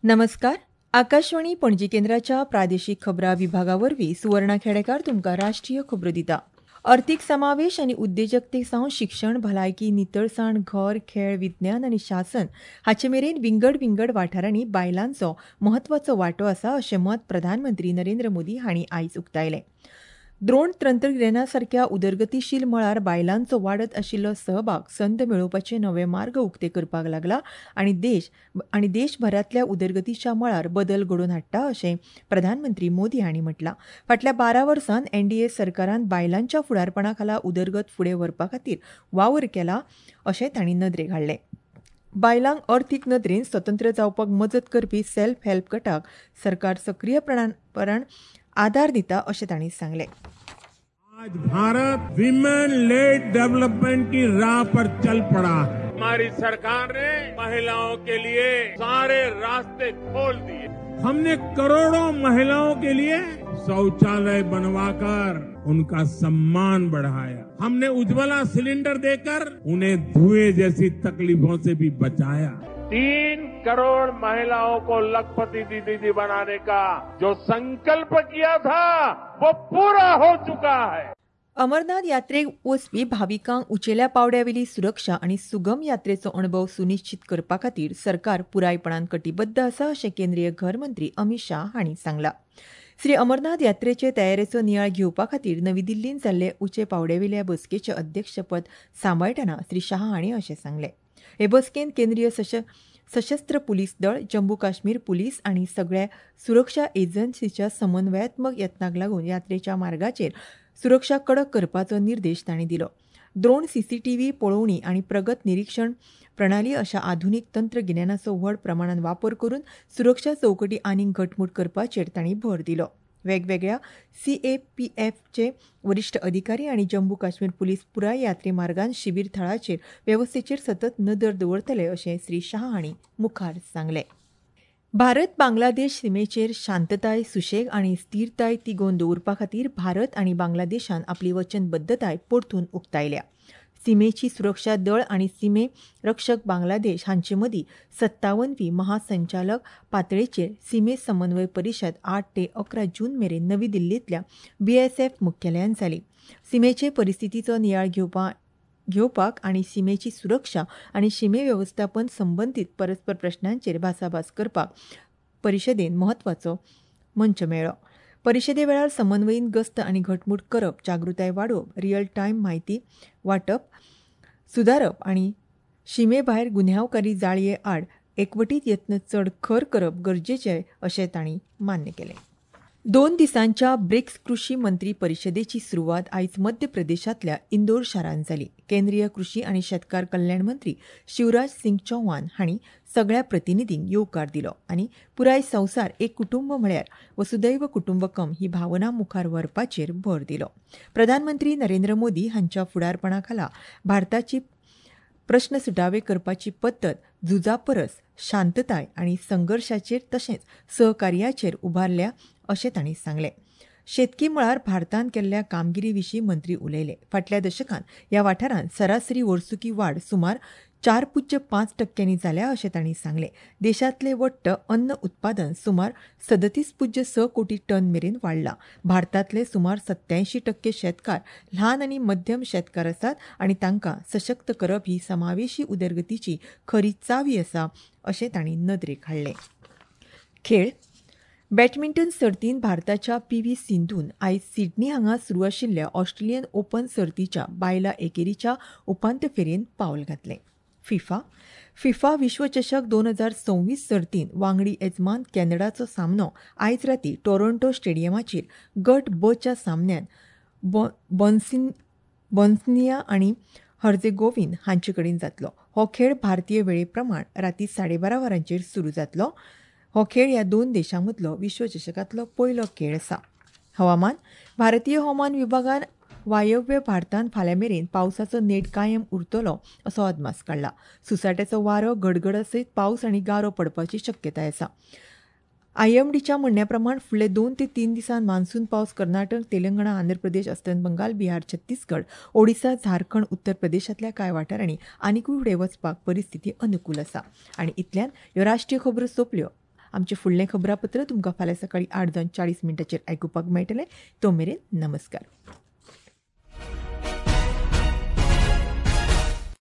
नमस्कार, आकाशवाणी पणजी केंद्राच्या प्रादेशीक खबरां विभागा वरवीं सुवर्णा खेडेकार तुमकां राष्ट्रीय खबरो दिता. अर्थीक समावेश आनी उद्देजकते सावन शिक्षण, भलायकी, नितळसाण, घर, खेळ, विज्ञान आनी शासन हाचे मेरेन विंगड विंगड वाठारांनी बायलांचो म्हत्वाचो वांटो आसा अशें मत प्रधानमंत्री नरेंद्र मोदी हांणी आयज उक्तायलें. द्रोण तंत्रगिन्याना सारक्या उदरगतीशील मळार बायलांचो वाडत आशिल्लो सहभाग संद मेळोवपाचे नवे मार्ग उक्ते करपाक लागला आनी देश आनी देशभरांतल्या उदरगतीच्या मळार बदल घडोवन हाडटा अशें प्रधानमंत्री मोदी हांणी म्हटलां. फाटल्या 12 वर्सांत एनडीए सरकारान बायलांच्या फुडारपणा खाला उदरगत फुडें व्हरपा खातीर वावर केला अशें तांणी नदरेक हाडलें. बायलांक अर्थीक नदरेन स्वतंत्र जावपाक मजत करपी सेल्फ हेल्प गटाक सरकार सक्रीयपणान आधार दिता अशें तांणी सांगलें. आज भारत विमेन लेड डेवलपमेंट की राह पर चल पड़ा है. हमारी सरकार ने महिलाओं के लिए सारे रास्ते खोल दिए. हमने करोड़ों महिलाओं के लिए शौचालय बनवाकर उनका सम्मान बढ़ाया. हमने उज्ज्वला सिलेंडर देकर उन्हें धुएं जैसी तकलीफों से भी बचाया. 3 करोड़ महिलाओं को लखपति दीदी बनाने का जो संकल्प किया था वो पूरा हो चुका है. अमरनाथ यात्रेक वचपी भाविकांक उंचेल्या पावड्यावेली सुरक्षा आनी सुगम यात्रेचो अणभव सुनिश्चित करपा खातीर सरकार पुरायपणान कटिबद्ध आसा अशें केंद्रीय घर मंत्री अमित शाह हांणी सांगलां. श्री अमरनाथ यात्रेचे तयारेचो नियाळ घेवपा खातीर नवी दिल्लींत जाल्ले उंचे पावड्यावेल्या बसकेचें अध्यक्षपद सांबाळटना श्री शाह हांणी अशें सांगलें. हे बसकेंत केंद्रीय सशस्त्र पुलीस दळ, जम्मू काश्मीर पुलीस आनी सगळ्या सुरक्षा एजन्सीच्या समन्वयात्मक यत्नाक लागून यात्रेच्या मार्गाचेर सुरक्षा कडक करपाचो निर्देश तांणी दिलो. द्रोण, सीसीटीव्ही पळोवणी आनी प्रगत निरीक्षण प्रणाली अशा आधुनीक तंत्रगिन्यानाचो व्हड प्रमाणान वापर करून सुरक्षा चौकटी आनीक घटमूट करपाचेर तांणी भर दिलो. वेगवेगळ्या सीएपीएफचे वरिश्ठ अधिकारी आनी जम्मू काश्मीर पुलीस पुराय यात्रे मार्गान शिबीर थळाचेर वेवस्थेचेर सतत नदर दवरतले अशें श्री शाह हांणी मुखार सांगलें. भारत बांगलादेश सिमेचेर शांतताय, सुशेग आनी स्थिरताय तिगोवन दवरपा खातीर भारत आनी बांगलादेशान आपली वचनबद्धताय परतून उक्तायल्या. सिमेची सुरक्षा दळ आनी सिमे रक्षक बांगलादेश हांचे मदीं 57वी महासंचालक पातळेचेर सिमे समन्वय परिशद 8 ते 11 जून मेरेन नवी दिल्लींतल्या बीएसएफ मुख्यालयांत जाली. सिमेचे परिस्थितीचो नियाळ घेवपाक आनी सिमेची सुरक्षा आनी शिमे वेवस्थापन संबंदीत परस्पर प्रश्नांचेर भासाभास करपाक परिशदेन म्हत्वाचो मंच मेळ्ळो. परिशदे वेळार समन्वयीन गस्त आनी घटमूट करप, जागृताय वाडोवप, रियल टायम म्हायती वांटप सुदारप आनी शिमे भायर गुन्यांवकारी जाळये आड एकवटीत यत्न चड खर करप गरजेचे अशें तांणी मान्य केलें. 2 दिसांच्या ब्रिक्स कृशी मंत्री परिशदेची सुरवात आयज मध्य प्रदेशांतल्या इंदोर शारांत जाली. केंद्रीय कृशी आनी शेतकार कल्याण मंत्री शिवराज सिंग चौहान हांणी सगळ्या प्रतिनिधींक येवकार दिलो आनी पुराय संवसार एक कुटुंब म्हळ्यार वसुदैव कुटुंबकम ही भावना मुखार व्हरपाचेर भर दिलो. प्रधानमंत्री नरेंद्र मोदी हांच्या फुडारपणा खाला भारताची प्रस्न सुटावे करपाची पद्दत झुजा परस शांतताय आनी संघर्शाचेर तशेंच सहकार्याचेर उबारल्या अशें तांणी सांगलें. शेतकी मळार भारतान केल्ल्या कामगिरी विशीं मंत्री उलयले. फाटल्या दशकांत ह्या वाठारांत सरासरी वर्सुकी वाड सुमार 4.5% जाल्या अशें तांणी सांगलें. देशांतलें वट्ट अन्न उत्पादन सुमार 37.6 कोटी टन मेरेन वाडलां. भारतांतले सुमार 87% शेतकार ल्हान आनी मध्यम शेतकार आसात आनी तांकां सशक्त करप ही समावेशी उदरगतीची खरी चावी आसा अशें तांणी नदरेक हाडलें. खेळ. बॅडमिंटन सर्तींत भारताच्या पी व्ही सिंधून आयज सिडनी हांगा सुरू आशिल्ल्या ऑस्ट्रेलियन ओपन सर्तीच्या बायलां एकेरीच्या उपांत्य फेरयेंत पावल घातलें. फिफा विश्वचषक 2026 सर्तींत वांगडी येजमान कॅनडाचो सामनो आयज राती टोरंटो स्टेडियमाचेर गट ब च्या सामन्यांत बोस्निया आनी हर्जेगोविन हांचे कडेन जातलो. हो खेळ भारतीय वेळे प्रमाण राती 12:30 वरांचेर सुरू जातलो. हो खेळ ह्या 2 देशां मदलो विश्वचषकांतलो पयलो खेळ आसा. हवामान. भारतीय हवामान विभागान वायव्य भारतांत फाल्यां मेरेन पावसाचो नेट कायम उरतलो असो अदमास काडला. सुसाट्याचो वारो, गडगडा सयत पावस आनी गारो पडपाची शक्यताय आसा. आयएमडीच्या म्हणण्या प्रमाण फुडले 2 ते 3 दिसांत मान्सून पावस कर्नाटक, तेलंगणा, आंध्र प्रदेश, अस्तंत बंगाल, बिहार, छत्तीसगड, ओडिसा, झारखंड, उत्तर प्रदेशांतल्या कांय वाठारांनी आनिकूय फुडें वचपाक परिस्थिती अनुकूल आसा. आनी इतल्यान ह्यो राष्ट्रीय खबरो सोंपल्यो. आमचें फुडलें खबरापत्र तुमकां फाल्यां सकाळीं 8:40 आयकुपाक मेळटलें. तो मेरेन नमस्कार.